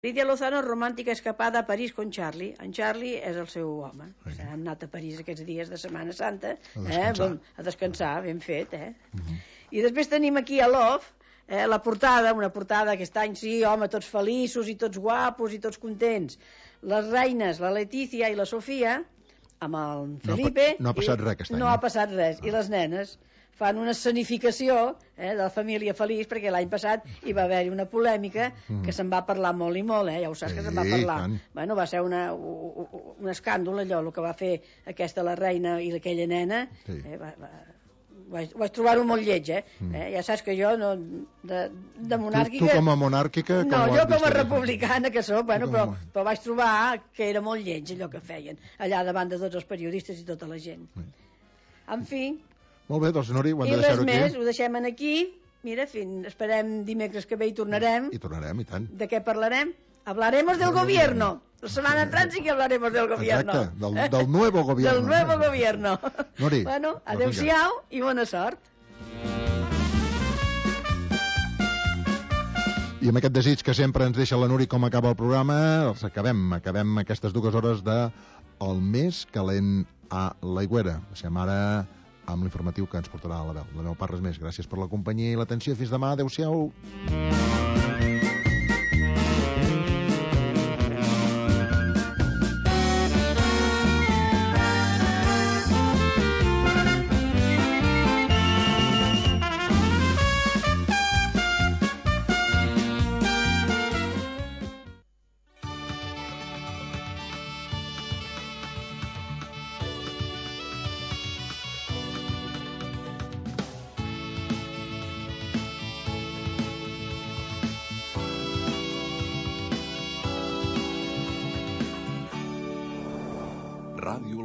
Lidia Lozano, romàntica escapada a París con Charlie. En Charlie és el seu home. Han anat a París aquests dies de Setmana Santa a descansar, ben fet. I després tenim aquí a Love, la portada, una portada aquest any, sí, home, tots feliços i tots guapos i tots contents. Les reines, la Letícia i la Sofia, amb el Felipe... No ha passat res aquest any. No ha passat res. I les nenes fan una escenificació de la família feliç, perquè l'any passat hi va haver-hi una polèmica que se'n va parlar molt i molt, ja ho saps que se'n va parlar. Bueno, va ser un escàndol allò, el que va fer aquesta la reina i aquella nena. Vaig trobar-ho molt lleig, ja saps que jo de monàrquica... Tu com a monàrquica... No, jo com a republicana que soc, però vaig trobar que era molt lleig allò que feien allà davant de tots els periodistes i tota la gent. En fi... Molt bé, doncs, Nuri, ho hem de deixar-ho aquí. I res més, ho deixem aquí. Mira, esperem dimecres que ve i tornarem. I tornarem, i tant. De què parlarem? Hablaremos del gobierno. La setmana entrant sí que hablaremos del gobierno. Exacte, del nuevo gobierno. Del nuevo gobierno. Nuri. Bueno, adeu-siau i bona sort. I amb aquest desig que sempre ens deixa la Nuri com acaba el programa, els acabem aquestes 2 hores de El més calent a l'Aigüera. Deixem ara amb l'informatiu que ens portarà a la veu. De meu part, res més. Gràcies per la companyia i l'atenció. Fins demà. Adéu-siau.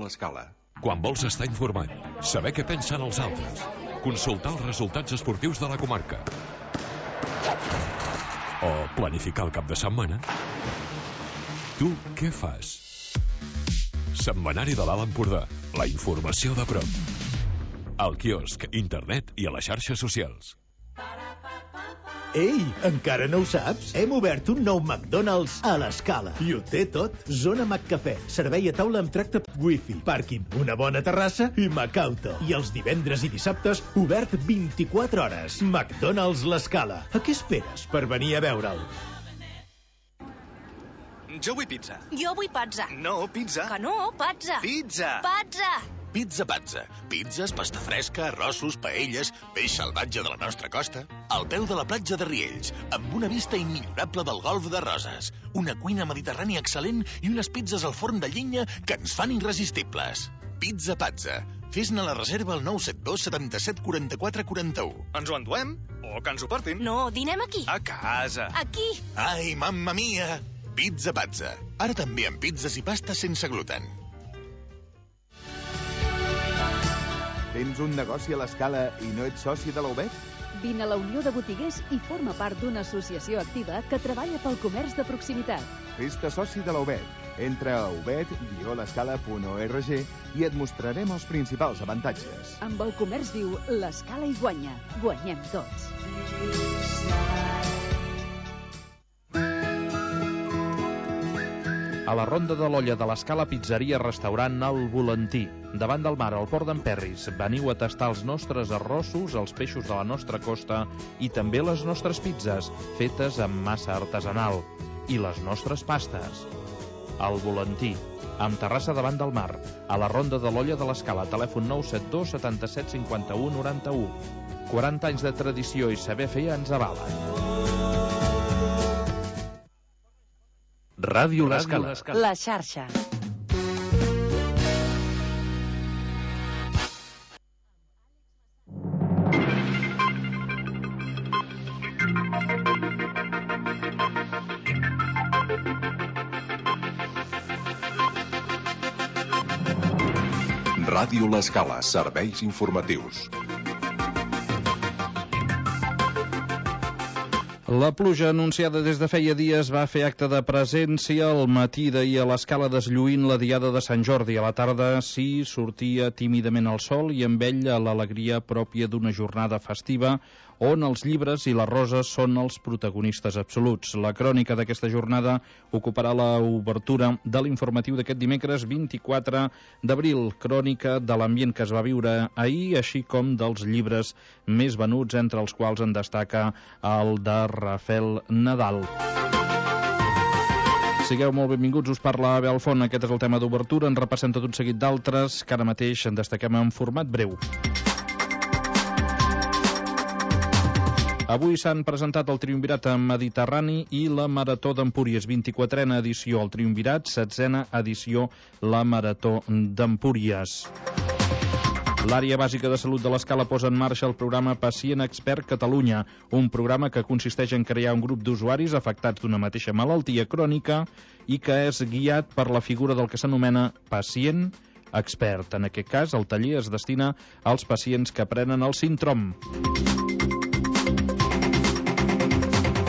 L'Escala. Quan vols estar informat, saber què pensen els altres, consultar els resultats esportius de la comarca o planificar el cap de setmana, tu què fas? Setmanari de l'Alt Empordà, la informació de prop. Al quiosc, internet i a les xarxes socials. Ei, encara no ho saps? Hem obert un nou McDonald's a l'Escala. I ho té tot. Zona McCafè, servei a taula amb tracte wifi, pàrquing, una bona terrassa i Macauto. I els divendres i dissabtes, obert 24 hores. McDonald's l'Escala. A què esperes per venir a veure'l? Jo vull pizza. Jo vull pazza. No, pizza. Que no, pazza. Pizza. Pazza. Pizza Pazza. Pizzas, pasta fresca, arrossos, paelles, peix salvatge de la nostra costa. Al peu de la platja de Riells, amb una vista immillorable del golf de Roses. Una cuina mediterrània excel·lent i unes pizzas al forn de llenya que ens fan irresistibles. Pizza Pazza. Fes-ne la reserva al 972 77 44 41. Ens ho enduem? O que ens ho portin? No, dinem aquí. A casa. Aquí. Ai, mamma mia! Pizza Pazza. Ara també amb pizzas i pastes sense gluten. Tens un negoci a l'Escala i no ets soci de la UBET? Vine a la Unió de Botiguers i forma part d'una associació activa que treballa pel comerç de proximitat. Fes-te soci de la UBET. Entra a ubet-l'escala.org i et mostrarem els principals avantatges. Amb el comerç viu, l'Escala hi guanya. Guanyem tots. A la Ronda de l'Olla de l'Escala, pizzeria restaurant El Volantí. Davant del mar, al port d'Emperris. Veniu a tastar els nostres arrossos, els peixos de la nostra costa i també les nostres pizzas, fetes amb massa artesanal. I les nostres pastes. El Volantí, amb terrassa davant del mar. A la Ronda de l'Olla de l'Escala, telèfon 972 77 51 91. 40 anys de tradició i saber fer ens avalen. Ràdio l'Escala. La xarxa. Ràdio l'Escala, serveis informatius. La pluja anunciada des de feia dies va fer acte de presència al matí d'ahir a l'Escala, deslluint la diada de Sant Jordi. A la tarda sí sortia tímidament el sol i amb ell l'alegria pròpia d'una jornada festiva on els llibres i les roses són els protagonistes absoluts. La crònica d'aquesta jornada ocuparà l'obertura de l'informatiu d'aquest dimecres 24 d'abril, crònica de l'ambient que es va viure ahir, així com dels llibres més venuts, entre els quals en destaca el de Rafael Nadal. Sigueu molt benvinguts, us parla Abel Font. Aquest és el tema d'obertura. En repassem tot un seguit d'altres que ara mateix en destaquem en format breu. Avui s'han presentat el Triumvirat Mediterrani i la Marató d'Empúries, 24a edició el Triumvirat, 16a edició la Marató d'Empúries. L'Àrea Bàsica de Salut de l'Escala posa en marxa el programa Pacient Expert Catalunya, un programa que consisteix en crear un grup d'usuaris afectats d'una mateixa malaltia crònica i que és guiat per la figura del que s'anomena pacient expert. En aquest cas, el taller es destina als pacients que prenen el síndrom.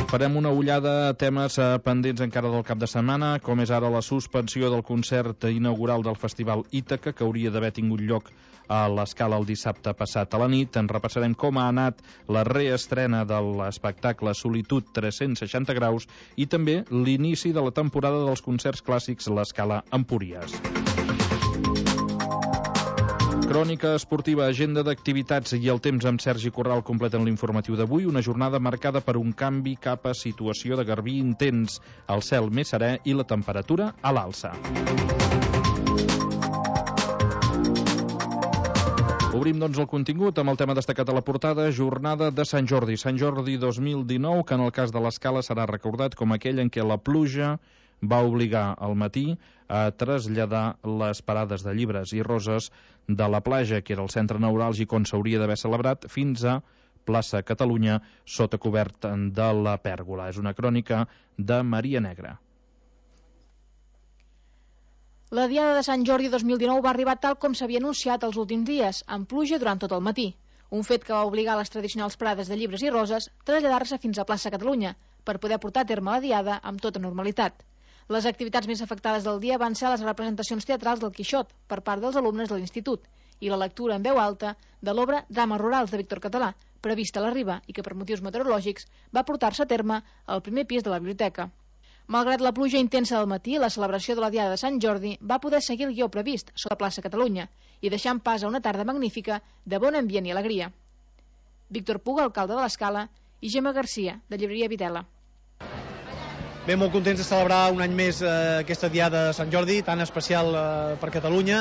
Farem una ullada a temes pendents encara del cap de setmana, com és ara la suspensió del concert inaugural del Festival Ítaca, que hauria d'haver tingut lloc a l'Escala el dissabte passat a la nit. En repassarem com ha anat la reestrena de l'espectacle Solitud 360 graus i també l'inici de la temporada dels concerts clàssics a l'Escala Empúries. Crònica esportiva, agenda d'activitats i el temps amb Sergi Corral completen l'informatiu d'avui, una jornada marcada per un canvi cap a situació de garbí intens, el cel més serè i la temperatura a l'alça. Obrim, doncs, el contingut amb el tema destacat a la portada, jornada de Sant Jordi. Sant Jordi 2019, que en el cas de l'Escala serà recordat com aquell en què la pluja va obligar al matí a traslladar les parades de llibres i roses de la platja, que era el centre neuràlgic on s'hauria d'haver celebrat, fins a plaça Catalunya, sota cobert de la pèrgola. És una crònica de Maria Negra. La Diada de Sant Jordi 2019 va arribar tal com s'havia anunciat els últims dies, amb pluja durant tot el matí. Un fet que va obligar les tradicionals parades de llibres i roses a traslladar-se fins a plaça Catalunya, per poder portar a terme la Diada amb tota normalitat. Les activitats més afectades del dia van ser les representacions teatrals del Quixot per part dels alumnes de l'Institut i la lectura en veu alta de l'obra Drames rurals de Víctor Català, prevista a la Riba i que per motius meteorològics va portar-se a terme al primer pis de la biblioteca. Malgrat la pluja intensa del matí, la celebració de la Diada de Sant Jordi va poder seguir el guió previst sota plaça Catalunya i deixant pas a una tarda magnífica de bon ambient i alegria. Víctor Puga, alcalde de l'Escala, i Gemma Garcia, de Llibreria Vitela. Bé, molt contents de celebrar un any més aquesta Diada de Sant Jordi, tan especial per Catalunya,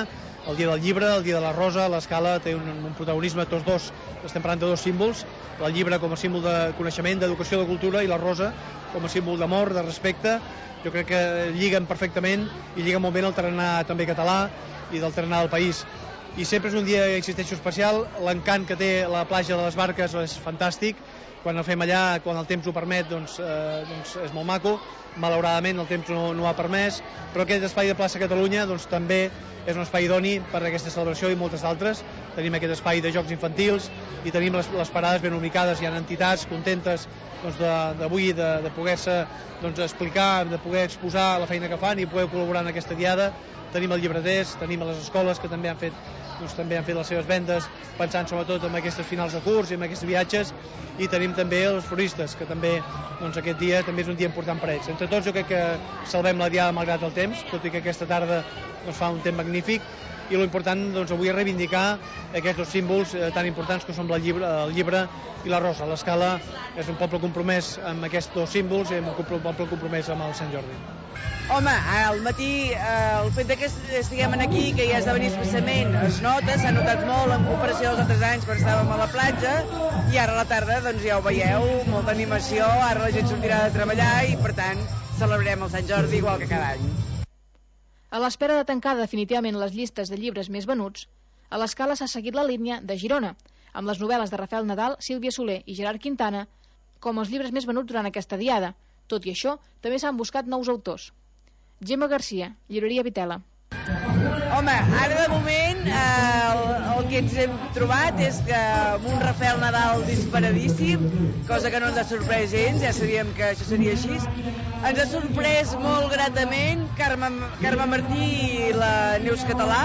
el Dia del Llibre, el Dia de la Rosa. L'Escala té un protagonisme, tots dos, estem parlant de dos símbols, el llibre com a símbol de coneixement, d'educació, de cultura, i la rosa com a símbol d'amor, de respecte. Jo crec que lliguen perfectament i lliguen molt bé el tarannà també català i del tarannà del país. I sempre és un dia, insisteixo, especial. L'encant que té la platja de les Barques és fantàstic. Quan el fem allà, quan el temps ho permet, doncs és molt maco. Malauradament el temps no ha permès, però aquest espai de plaça Catalunya doncs, també és un espai idoni per a aquesta celebració i moltes altres. Tenim aquest espai de jocs infantils i tenim les parades ben ubicades. Hi ha entitats contentes d'avui de poder-se explicar, de poder exposar la feina que fan i poder col·laborar en aquesta diada. Tenim els llibreters, tenim les escoles que també han fet les seves vendes pensant sobretot en aquestes finals de curs i en aquests viatges, i tenim també els floristes, que també aquest dia també és un dia important per ells. Entre tots jo crec que salvem la diada malgrat el temps, tot i que aquesta tarda fa un temps magnífic, i l'important avui és reivindicar aquests dos símbols tan importants que són el llibre i la rosa. L'Escala és un poble compromès amb aquests dos símbols i un poble compromès amb el Sant Jordi. Home, al matí el fet que estiguem aquí, que ja és de venir expressament, es nota, s'ha notat molt en comparació als altres anys quan estàvem a la platja, i ara a la tarda ja ho veieu, molta animació, ara la gent sortirà de treballar i per tant celebrarem el Sant Jordi igual que cada any. A l'espera de tancar definitivament les llistes de llibres més venuts, a l'Escala s'ha seguit la línia de Girona, amb les novel·les de Rafael Nadal, Sílvia Soler i Gerard Quintana com els llibres més venuts durant aquesta diada. Tot i això, també s'han buscat nous autors. Gemma Garcia, Llibreria Vitela. Home, ara de moment el que ens hem trobat és que amb un Rafael Nadal disparadíssim, cosa que no ens ha sorprès gens, ja sabíem que això seria així. Ens ha sorprès molt gratament Carme Martí i la Neus Català,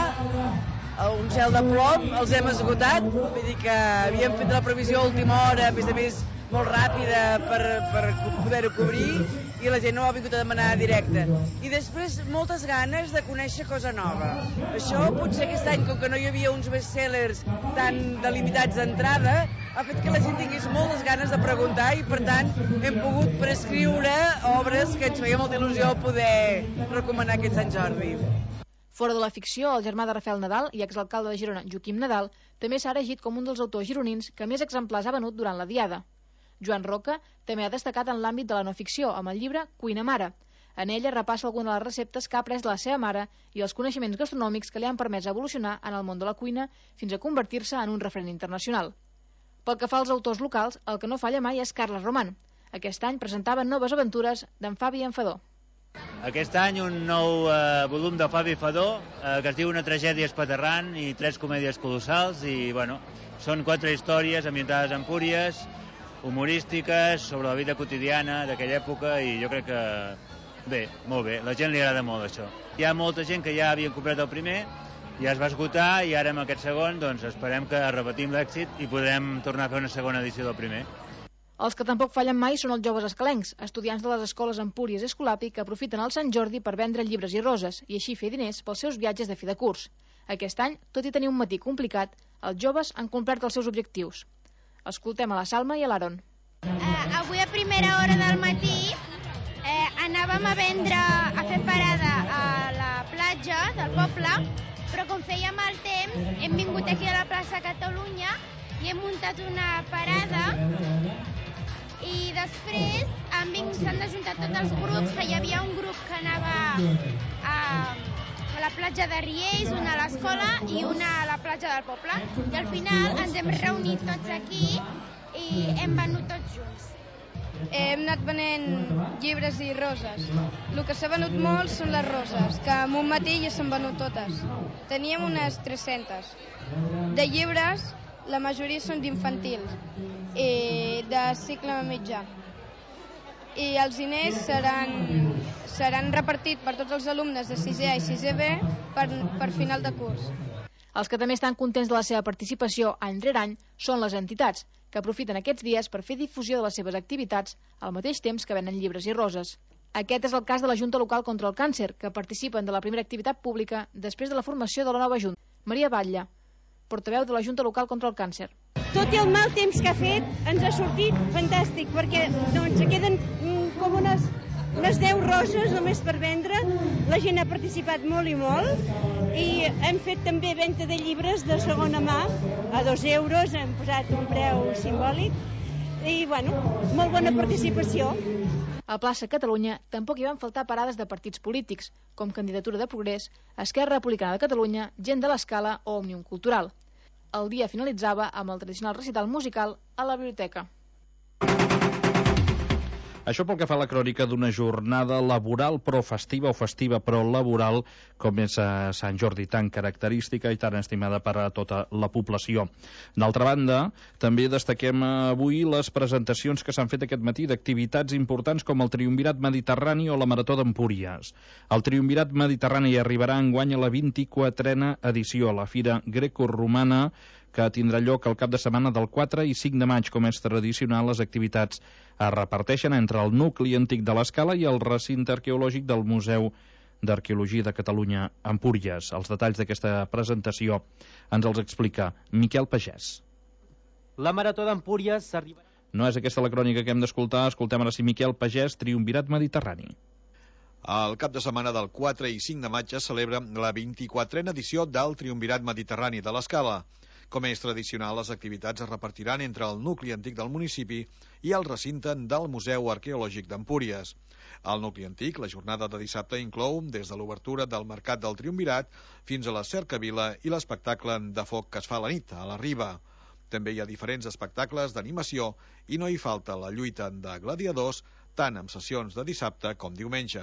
un cel de plom, els hem esgotat, vull dir que havíem fet la previsió a última hora, a més molt ràpida per poder-ho cobrir, i la gent no ha vingut a demanar directe. I després moltes ganes de conèixer cosa nova. Això potser aquest any, com que no hi havia uns bestsellers tan delimitats d'entrada, ha fet que la gent tingués moltes ganes de preguntar i, per tant, hem pogut prescriure obres que ens feia molta il·lusió poder recomanar aquest Sant Jordi. Fora de la ficció, el germà de Rafael Nadal i exalcalde de Girona, Joaquim Nadal, també s'ha elegit com un dels autors gironins que més exemplars ha venut durant la Diada. Joan Roca també ha destacat en l'àmbit de la no ficció, amb el llibre Cuina Mare. En ella repassa alguna de les receptes que ha après de la seva mare i els coneixements gastronòmics que li han permès evolucionar en el món de la cuina fins a convertir-se en un referent internacional. Pel que fa als autors locals, el que no falla mai és Carles Román. Aquest any presentava noves aventures d'en Fabi Enfadó. Aquest any un nou volum de Fabi Enfadó que es diu Una tragèdia espaterrant i 3 comèdies colossals i, bueno, són 4 històries ambientades a Empúries, humorístiques, sobre la vida quotidiana d'aquella època i jo crec que bé, molt bé, la gent li agrada molt això. Hi ha molta gent que ja havia comprat el primer, ja es va esgotar i ara amb aquest segon doncs esperem que repetim l'èxit i podrem tornar a fer una segona edició del primer. Els que tampoc fallen mai són els joves escalencs, estudiants de les escoles Empúries i Escolapi que aprofiten el Sant Jordi per vendre llibres i roses i així fer diners pels seus viatges de fi de curs. Aquest any, tot i tenir un matí complicat, els joves han complert els seus objectius. Escoltem a la Salma i a l'Aaron. Avui a primera hora del matí anàvem a vendre, a fer parada a la platja del poble, però com feia mal temps hem vingut aquí a la plaça Catalunya i hem muntat una parada i després s'han ajuntat tots els grups, que hi havia un grup que anava a la platja de Riells, una a l'escola i una a la platja del poble. I al final ens hem reunit tots aquí i hem venut tots junts. Hem anat venent llibres i roses. El que s'ha venut molt són les roses, que en un matí ja s'han venut totes. Teníem unes 300. De llibres, la majoria són d'infantils i de cicle mitjà. I els diners seran repartits per tots els alumnes de 6è i 6è B per final de curs. Els que també estan contents de la seva participació any rere any són les entitats, que aprofiten aquests dies per fer difusió de les seves activitats al mateix temps que venen llibres i roses. Aquest és el cas de la Junta Local contra el Càncer, que participen de la primera activitat pública després de la formació de la nova Junta. Maria Batlle, portaveu de la Junta Local contra el Càncer. Tot i el mal temps que ha fet, ens ha sortit fantàstic, perquè doncs, queden com unes 10 roses només per vendre. La gent ha participat molt i molt, i hem fet també venda de llibres de segona mà a 2 euros, hem posat un preu simbòlic, i bueno, molt bona participació. A Plaça Catalunya tampoc hi van faltar parades de partits polítics, com Candidatura de Progrés, Esquerra Republicana de Catalunya, Gent de l'Escala o Òmnium Cultural. El dia finalitzava amb el tradicional recital musical a la biblioteca. Això pel que fa a la crònica d'una jornada laboral però festiva o festiva però laboral, com és a Sant Jordi, tan característica i tan estimada per a tota la població. D'altra banda, també destaquem avui les presentacions que s'han fet aquest matí d'activitats importants com el Triumvirat Mediterrani o la Marató d'Empúries. El Triumvirat Mediterrani arribarà enguany a la 24a edició, a la Fira Grecoromana, que tindrà lloc el cap de setmana del 4 i 5 de maig. Com és tradicional, les activitats es reparteixen entre el nucli antic de l'Escala i el recinte arqueològic del Museu d'Arqueologia de Catalunya, Empúries. Els detalls d'aquesta presentació ens els explica Miquel Pagès. La Marató d'Empúries arribarà... No és aquesta la crònica que hem d'escoltar. Escoltem ara sí Miquel Pagès, Triumvirat Mediterrani. El cap de setmana del 4 i 5 de maig es celebra la 24a edició del Triumvirat Mediterrani de l'Escala. Com és tradicional, les activitats es repartiran entre el nucli antic del municipi i el recinte del Museu Arqueològic d'Empúries. Al nucli antic, la jornada de dissabte inclou des de l'obertura del Mercat del Triumvirat fins a la cercavila i l'espectacle de foc que es fa a la nit, a la Riba. També hi ha diferents espectacles d'animació i no hi falta la lluita de gladiadors, tant amb sessions de dissabte com diumenge.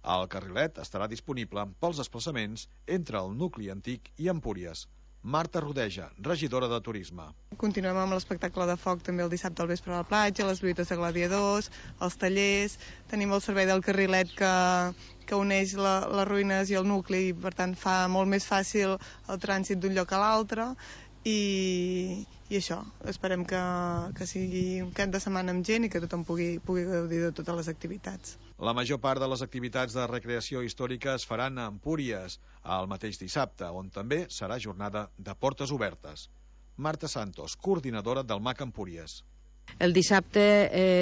El carrilet estarà disponible pels desplaçaments entre el nucli antic i Empúries. Marta Rodeja, regidora de Turisme. Continuem amb l'espectacle de foc també el dissabte al vespre a la platja, les lluites de gladiadors, els tallers, tenim el servei del carrilet que que uneix les ruïnes i el nucli, i per tant fa molt més fàcil el trànsit d'un lloc a l'altre, i això, esperem que sigui un cap de setmana amb gent i que tothom pugui gaudir de totes les activitats. La major part de les activitats de recreació històrica es faran a Empúries el mateix dissabte, on també serà jornada de portes obertes. Marta Santos, coordinadora del MAC Empúries. El dissabte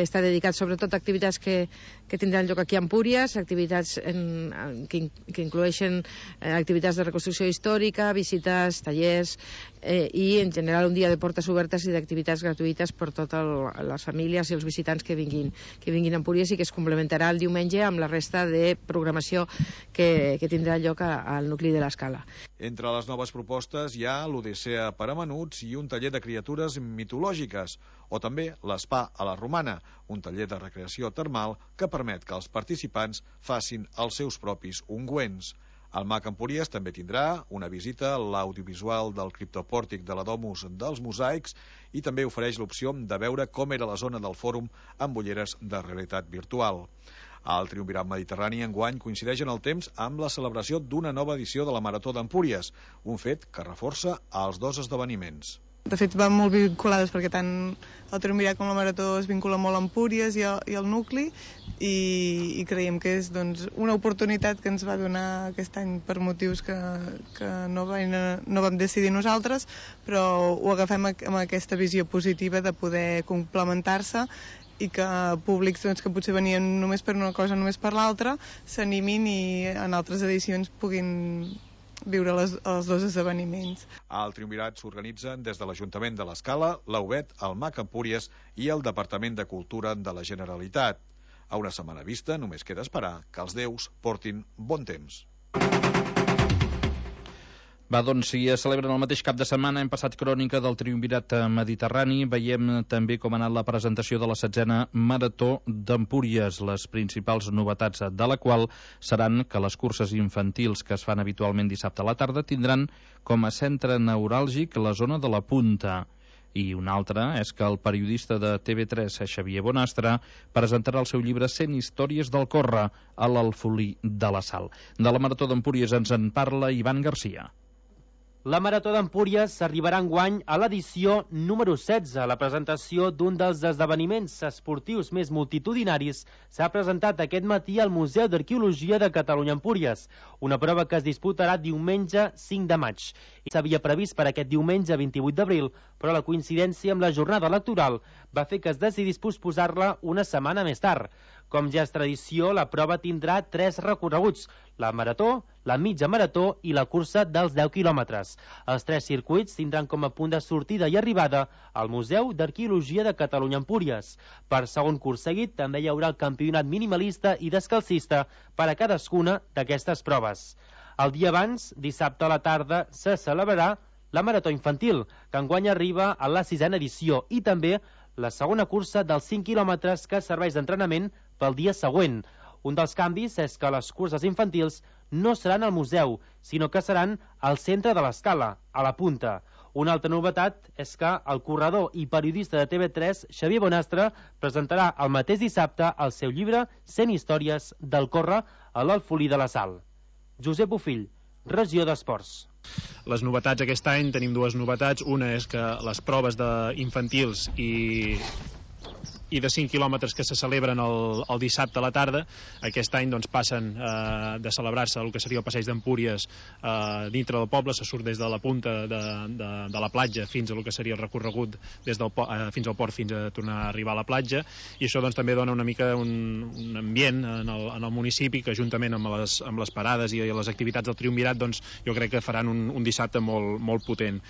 està dedicat sobretot a activitats que tindran lloc aquí a Empúries, activitats que incloeixen activitats de reconstrucció històrica, visites, tallers i en general un dia de portes obertes i d'activitats gratuïtes per totes les famílies i els visitants que vinguin a Empúries, i que es complementarà el diumenge amb la resta de programació que tindrà lloc al nucli de l'Escala. Entre les noves propostes hi ha l'Odissea per a menuts i un taller de criatures mitològiques, o també l'Spa a la Romana, un taller de recreació termal que permet que els participants facin els seus propis ungüents. El MAC Empúries també tindrà una visita a l'audiovisual del criptopòrtic de la Domus dels Mosaics i també ofereix l'opció de veure com era la zona del fòrum amb ulleres de realitat virtual. El Triumvirat Mediterrani enguany coincideix en el temps amb la celebració d'una nova edició de la Marató d'Empúries, un fet que reforça els dos esdeveniments. De fet, van molt vinculades perquè tant el Triumvirat com la Marató es vincula molt a Empúries i al nucli, i creiem que és una oportunitat que ens va donar aquest any per motius que no vam decidir nosaltres, però ho agafem amb aquesta visió positiva de poder complementar-se i que públics que potser venien només per una cosa, només per l'altra, s'animin i en altres edicions puguin viure els dos esdeveniments. Al Triumvirat s'organitzen des de l'Ajuntament de l'Escala, l'UBET, el MAC Empúries i el Departament de Cultura de la Generalitat. A una setmana vista només queda esperar que els déus portin bon temps. Va, doncs, si es celebren el mateix cap de setmana, hem passat crònica del Triumvirat Mediterrani, veiem també com ha anat la presentació de la 16a Marató d'Empúries, les principals novetats de la qual seran que les curses infantils que es fan habitualment dissabte a la tarda tindran com a centre neuràlgic la zona de la Punta. I una altra és que el periodista de TV3, Xavier Bonastre, presentarà el seu llibre 100 històries del córrer a l'Alfolí de la Sal. De la Marató d'Empúries ens en parla Ivan Garcia. La Marató d'Empúries s'arribarà enguany a l'edició número 16. La presentació d'un dels esdeveniments esportius més multitudinaris s'ha presentat aquest matí al Museu d'Arqueologia de Catalunya Empúries, una prova que es disputarà diumenge 5 de maig. S'havia previst per aquest diumenge 28 d'abril, però la coincidència amb la jornada electoral va fer que es decidís posposar-la una setmana més tard. Com ja és tradició, la prova tindrà 3 recorreguts: la marató, la mitja marató i la cursa dels 10 quilòmetres. Els 3 circuits tindran com a punt de sortida i arribada al Museu d'Arqueologia de Catalunya Empúries. Per segon curs seguit també hi haurà el campionat minimalista i descalcista per a cadascuna d'aquestes proves. El dia abans, dissabte a la tarda, se celebrarà la marató infantil, que enguany arriba a la 6a edició, i també la segona cursa dels 5 quilòmetres que serveix d'entrenament pel dia següent. Un dels canvis és que les curses infantils no seran al museu, sinó que seran al centre de l'Escala, a la Punta. Una altra novetat és que el corredor i periodista de TV3, Xavier Bonastre, presentarà el mateix dissabte el seu llibre 100 històries del córrer a l'Alfolí de la Sal. Josep Bofill, Regió d'Esports. Les novetats aquest any, tenim 2 novetats. Una és que les proves infantils i de 5 quilòmetres que se celebren el dissabte a la tarda, aquest any passen de celebrar-se el que seria el passeig d'Empúries dintre del poble. Se surt des de la punta de la platja fins a el que seria el recorregut fins al port, fins a tornar a arribar a la platja, i això també dona una mica un ambient en el municipi que, juntament amb les parades i les activitats del Triumvirat, jo crec que faran un dissabte molt potent.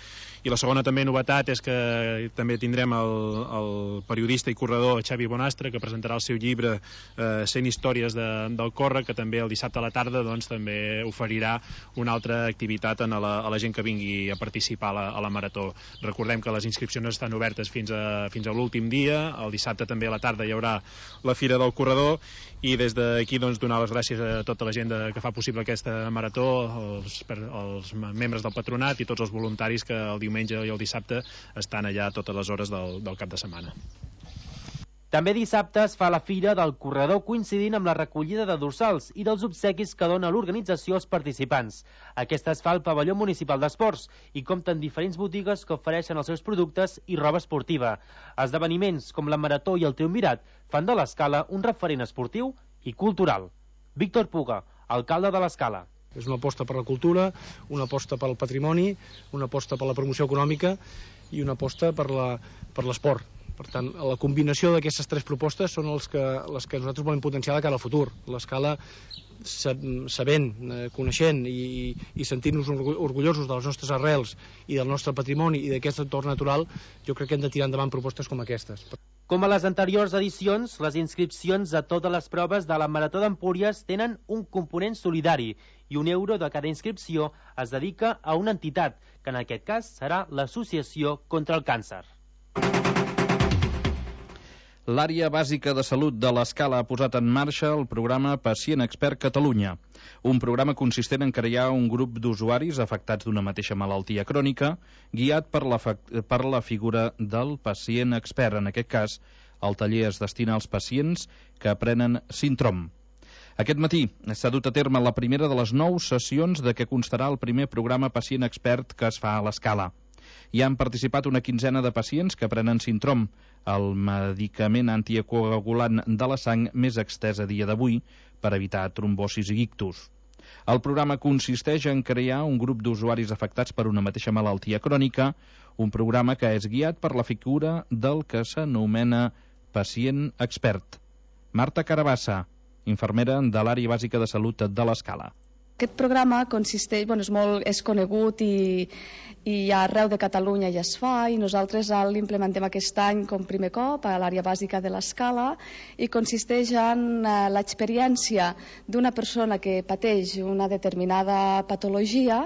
I la segona també novetat és que també tindrem el periodista i corredor Xavi Bonastre, que presentarà el seu llibre 100 històries del córrer, que també el dissabte a la tarda també oferirà una altra activitat a la gent que vingui a participar a la marató. Recordem que les inscripcions estan obertes fins a l'últim dia. El dissabte també a la tarda hi haurà la Fira del Corredor, i des d'aquí donar les gràcies a tota la gent que fa possible aquesta marató, els membres del patronat i tots els voluntaris que el diumenge i el dissabte estan allà a totes les hores del cap de setmana. També dissabte es fa la fira del corredor coincidint amb la recollida de dorsals i dels obsequis que dona l'organització als participants. Aquesta es fa al pavelló municipal d'esports i compta amb diferents botigues que ofereixen els seus productes i roba esportiva. Esdeveniments com la Marató i el Triumvirat fan de l'Escala un referent esportiu i cultural. Víctor Puga, alcalde de l'Escala. És una aposta per la cultura, una aposta pel patrimoni, una aposta per la promoció econòmica i una aposta per l'esport. Per tant, la combinació d'aquestes tres propostes són les que nosaltres volem potenciar de cara al futur. L'Escala, sabent, coneixent i sentint-nos orgullosos de les nostres arrels i del nostre patrimoni i d'aquest entorn natural, jo crec que hem de tirar endavant propostes com aquestes. Com a les anteriors edicions, les inscripcions a totes les proves de la Marató d'Empúries tenen un component solidari i €1 de cada inscripció es dedica a una entitat, que en aquest cas serà l'Associació contra el Càncer. L'àrea bàsica de salut de l'Escala ha posat en marxa el programa Pacient Expert Catalunya, un programa consistent en crear un grup d'usuaris afectats d'una mateixa malaltia crònica, guiat per la figura del pacient expert. En aquest cas, el taller es destina als pacients que prenen Sintrom. Aquest matí s'ha dut a terme la primera de les 9 sessions de què constarà el primer programa Pacient Expert que es fa a l'Escala. Hi han participat una quinzena de pacients que prenen Sintrom, el medicament anticoagulant de la sang més extès a dia d'avui per evitar trombosis i ictus. El programa consisteix en crear un grup d'usuaris afectats per una mateixa malaltia crònica, un programa que és guiat per la figura del que s'anomena pacient expert. Marta Carabassa, infermera de l'àrea bàsica de salut de l'Escala. Aquest programa consisteix, és conegut i arreu de Catalunya ja es fa, i nosaltres l'implementem aquest any com primer cop a l'àrea bàsica de l'Escala, i consisteix en l'experiència d'una persona que pateix una determinada patologia,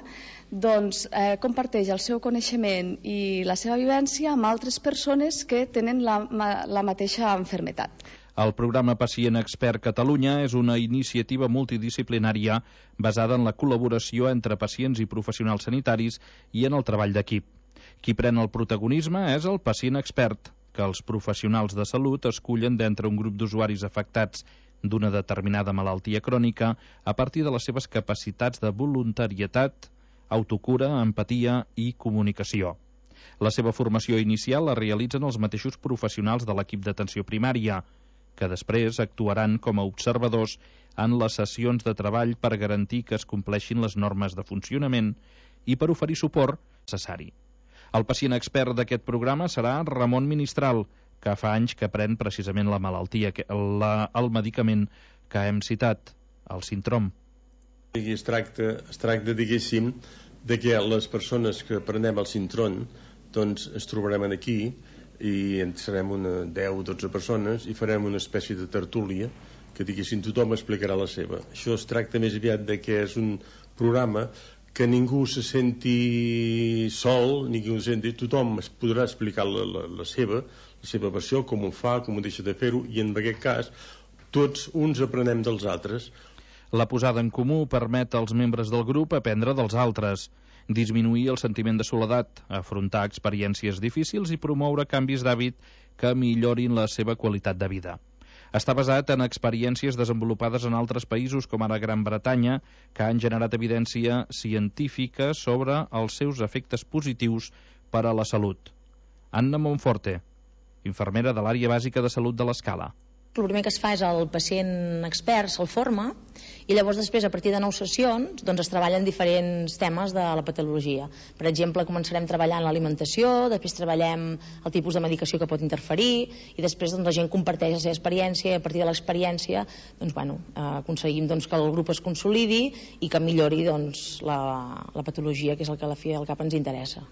doncs comparteix el seu coneixement i la seva vivència amb altres persones que tenen la mateixa malaltia. El programa Pacient Expert Catalunya és una iniciativa multidisciplinària basada en la col·laboració entre pacients i professionals sanitaris i en el treball d'equip. Qui pren el protagonisme és el pacient expert, que els professionals de salut escullen d'entre un grup d'usuaris afectats d'una determinada malaltia crònica a partir de les seves capacitats de voluntarietat, autocura, empatia i comunicació. La seva formació inicial la realitzen els mateixos professionals de l'equip d'atenció primària, que després actuaran com a observadors en les sessions de treball per garantir que es compleixin les normes de funcionament i per oferir suport necessari. El pacient expert d'aquest programa serà Ramon Ministral, que fa anys que pren precisament la malaltia, el medicament que hem citat, el Sintrom. Es tracta, diguéssim, de que les persones que prenem el Sintrom doncs es trobarem aquí i en serem una 10 o 12 persones i farem una espècie de tertúlia que, diguéssim, tothom explicarà la seva. Això es tracta més aviat de que és un programa que ningú se senti sol, tothom es podrà explicar la seva versió, com ho fa, com ho deixa de fer-ho, i en aquest cas tots uns aprenem dels altres. La posada en comú permet als membres del grup aprendre dels altres, disminuir el sentiment de soledat, afrontar experiències difícils i promoure canvis d'hàbit que millorin la seva qualitat de vida. Està basat en experiències desenvolupades en altres països com ara Gran Bretanya, que han generat evidència científica sobre els seus efectes positius per a la salut. Anna Monforte, infermera de l'àrea bàsica de salut de l'Escala. El primer que es fa és el pacient expert, se'l forma, i llavors després, a partir de 9 sessions, doncs es treballen diferents temes de la patologia. Per exemple, començarem treballant l'alimentació, després treballem el tipus de medicació que pot interferir, i després doncs, la gent comparteix la seva experiència, i a partir de l'experiència aconseguim que el grup es consolidi i que millori la patologia, que és el que a la fi al cap ens interessa.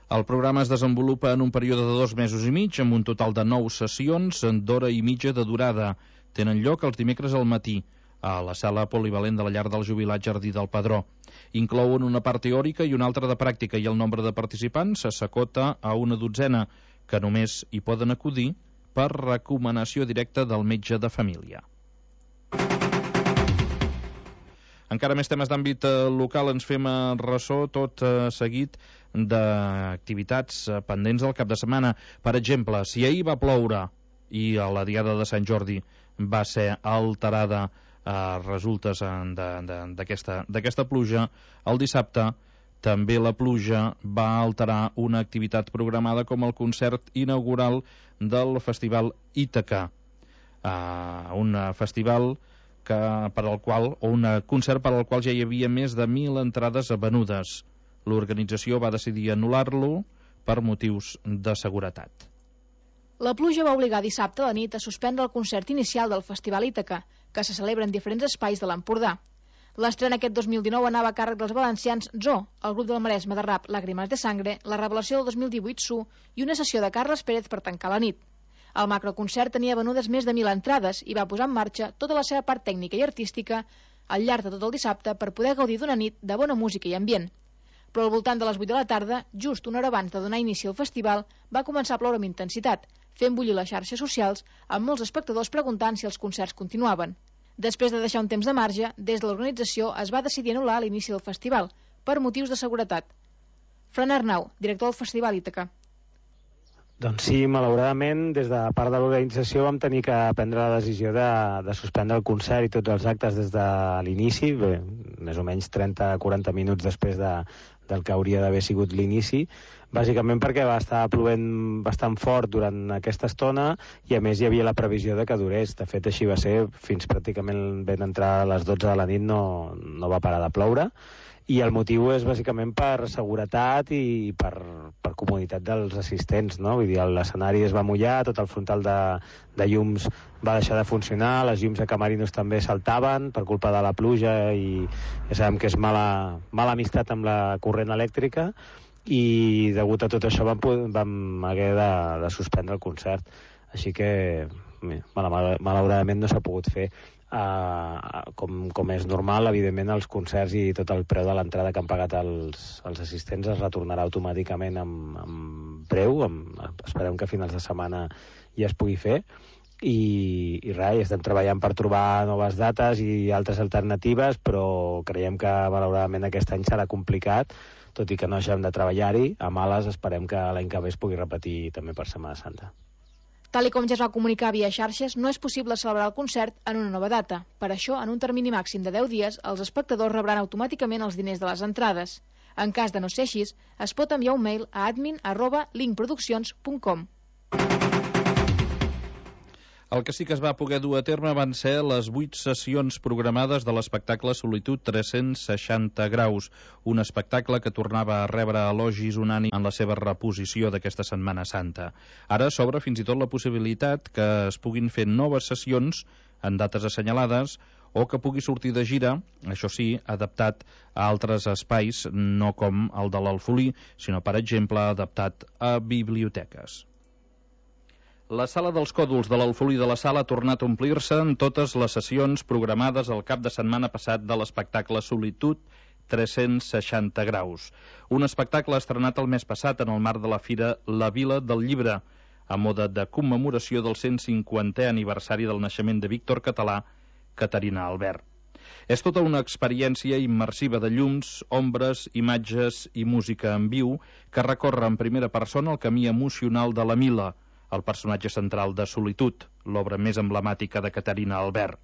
El programa es desenvolupa en un període de 2 mesos i mig, amb un total de 9 sessions d'hora i mitja de durada. Tenen lloc els dimecres al matí, a la sala polivalent de la llar del jubilat Jardí del Padró. Inclouen una part teòrica i una altra de pràctica, i el nombre de participants s'acota a una 12, que només hi poden acudir per recomanació directa del metge de família. Encara més temes d'àmbit local, ens fem ressò tot seguit d'activitats pendents del cap de setmana. Per exemple, si ahir va ploure i la diada de Sant Jordi va ser alterada a resultes d'aquesta pluja, el dissabte també la pluja va alterar una activitat programada com el concert inaugural del Festival Ítaca, un festival un concert per al qual ja hi havia més de 1.000 entrades venudes. L'organització va decidir anul·lar-lo per motius de seguretat. La pluja va obligar dissabte a la nit a suspendre el concert inicial del Festival Ítaca, que se celebra en diferents espais de l'Empordà. L'estrena aquest 2019 anava a càrrec dels valencians Zoo, el grup del Maresme de rap Lágrimas de Sangre, la revelació del 2018 Su i una sessió de Carles Pérez per tancar la nit. El macroconcert tenia venudes més de 1.000 entrades i va posar en marxa tota la seva part tècnica i artística al llarg de tot el dissabte per poder gaudir d'una nit de bona música i ambient. Però al voltant de les 8 de la tarda, just una hora abans de donar inici al festival, va començar a ploure amb intensitat, fent bullir les xarxes socials amb molts espectadors preguntant si els concerts continuaven. Després de deixar un temps de marge, des de l'organització es va decidir anul·lar l'inici del festival, per motius de seguretat. Fran Arnau, director del Festival Ítaca. Doncs sí, malauradament, des de part de l'organització vam tenir que prendre la decisió de suspendre el concert i tots els actes des de l'inici, més o menys 30-40 minuts després del que hauria d'haver sigut l'inici, bàsicament perquè va estar plovent bastant fort durant aquesta estona i a més hi havia la previsió de que durés. De fet, així va ser, fins pràcticament ben entrar a les 12 de la nit no va parar de ploure, i el motiu és bàsicament per seguretat i per comoditat dels assistents, no? Vull dir, l'escenari es va mullar, tot el frontal de llums va deixar de funcionar, les llums de camarinos també saltaven per culpa de la pluja i ja sabem que és mala amistat amb la corrent elèctrica, i degut a tot això vam haver de suspendre el concert. Així que malauradament no s'ha pogut fer. Com és normal, evidentment els concerts i tot el preu de l'entrada que han pagat els assistents es retornarà automàticament amb preu. Esperem que a finals de setmana ja es pugui fer i res, estem treballant per trobar noves dates i altres alternatives, però creiem que malauradament aquest any serà complicat, tot i que no hagem de treballar-hi. A males esperem que l'any que ve es pugui repetir també per Setmana Santa. Tal com ja es va comunicar via xarxes, no és possible celebrar el concert en una nova data. Per això, en un termini màxim de 10 dies, els espectadors rebran automàticament els diners de les entrades. En cas de no ser així, es pot enviar un mail a admin@linkproduccions.com. El que sí que es va poder dur a terme van ser les 8 sessions programades de l'espectacle Solitud 360 graus, un espectacle que tornava a rebre elogis unànimes en la seva reposició d'aquesta Setmana Santa. Ara s'obre fins i tot la possibilitat que es puguin fer noves sessions en dates assenyalades o que pugui sortir de gira, això sí, adaptat a altres espais, no com el de l'Alfolí, sinó, per exemple, adaptat a biblioteques. La sala dels còdols de l'Alfolí de la Sala ha tornat a omplir-se en totes les sessions programades el cap de setmana passat de l'espectacle Solitud 360 graus. Un espectacle estrenat el mes passat en el marc de la fira La Vila del Llibre, a mode de commemoració del 150è aniversari del naixement de Víctor Català, Caterina Albert. És tota una experiència immersiva de llums, ombres, imatges i música en viu que recorre en primera persona el camí emocional de la Mila, el personatge central de Solitud, l'obra més emblemàtica de Caterina Albert.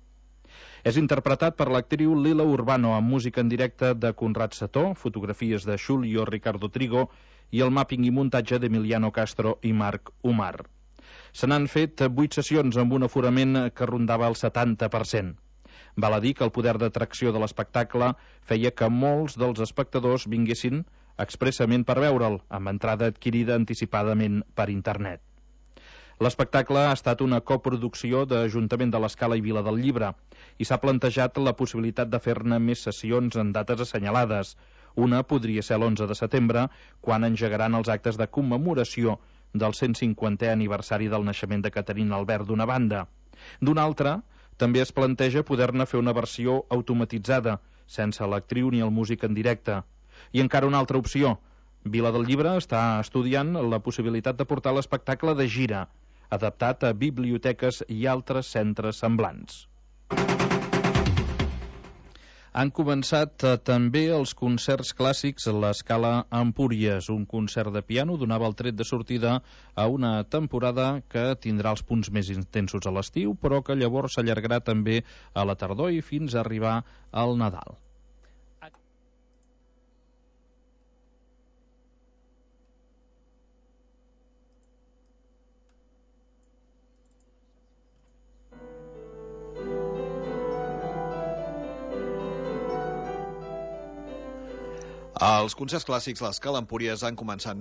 És interpretat per l'actriu Lila Urbano amb música en directe de Conrad Sató, fotografies de Julio Ricardo Trigo i el màpping i muntatge d'Emiliano Castro i Marc Umar. Se n'han fet 8 sessions amb un aforament que rondava el 70%. Val a dir que el poder d'atracció de l'espectacle feia que molts dels espectadors vinguessin expressament per veure'l, amb entrada adquirida anticipadament per internet. L'espectacle ha estat una coproducció de l'Ajuntament de l'Escala i Vila del Llibre i s'ha plantejat la possibilitat de fer-ne més sessions en dates assenyalades. Una podria ser l'11 de setembre, quan engegaran els actes de commemoració del 150è aniversari del naixement de Caterina Albert d'una banda. D'una altra, també es planteja poder-ne fer una versió automatitzada, sense l'actriu ni el músic en directe. I encara una altra opció. Vila del Llibre està estudiant la possibilitat de portar l'espectacle de gira, adaptat a biblioteques i altres centres semblants. Han començat també els concerts clàssics a l'Escala Empúries. Un concert de piano donava el tret de sortida a una temporada que tindrà els punts més intensos a l'estiu, però que llavors s'allargarà també a la tardor i fins a arribar al Nadal. Els concerts clàssics a l'Escala Empúries han començat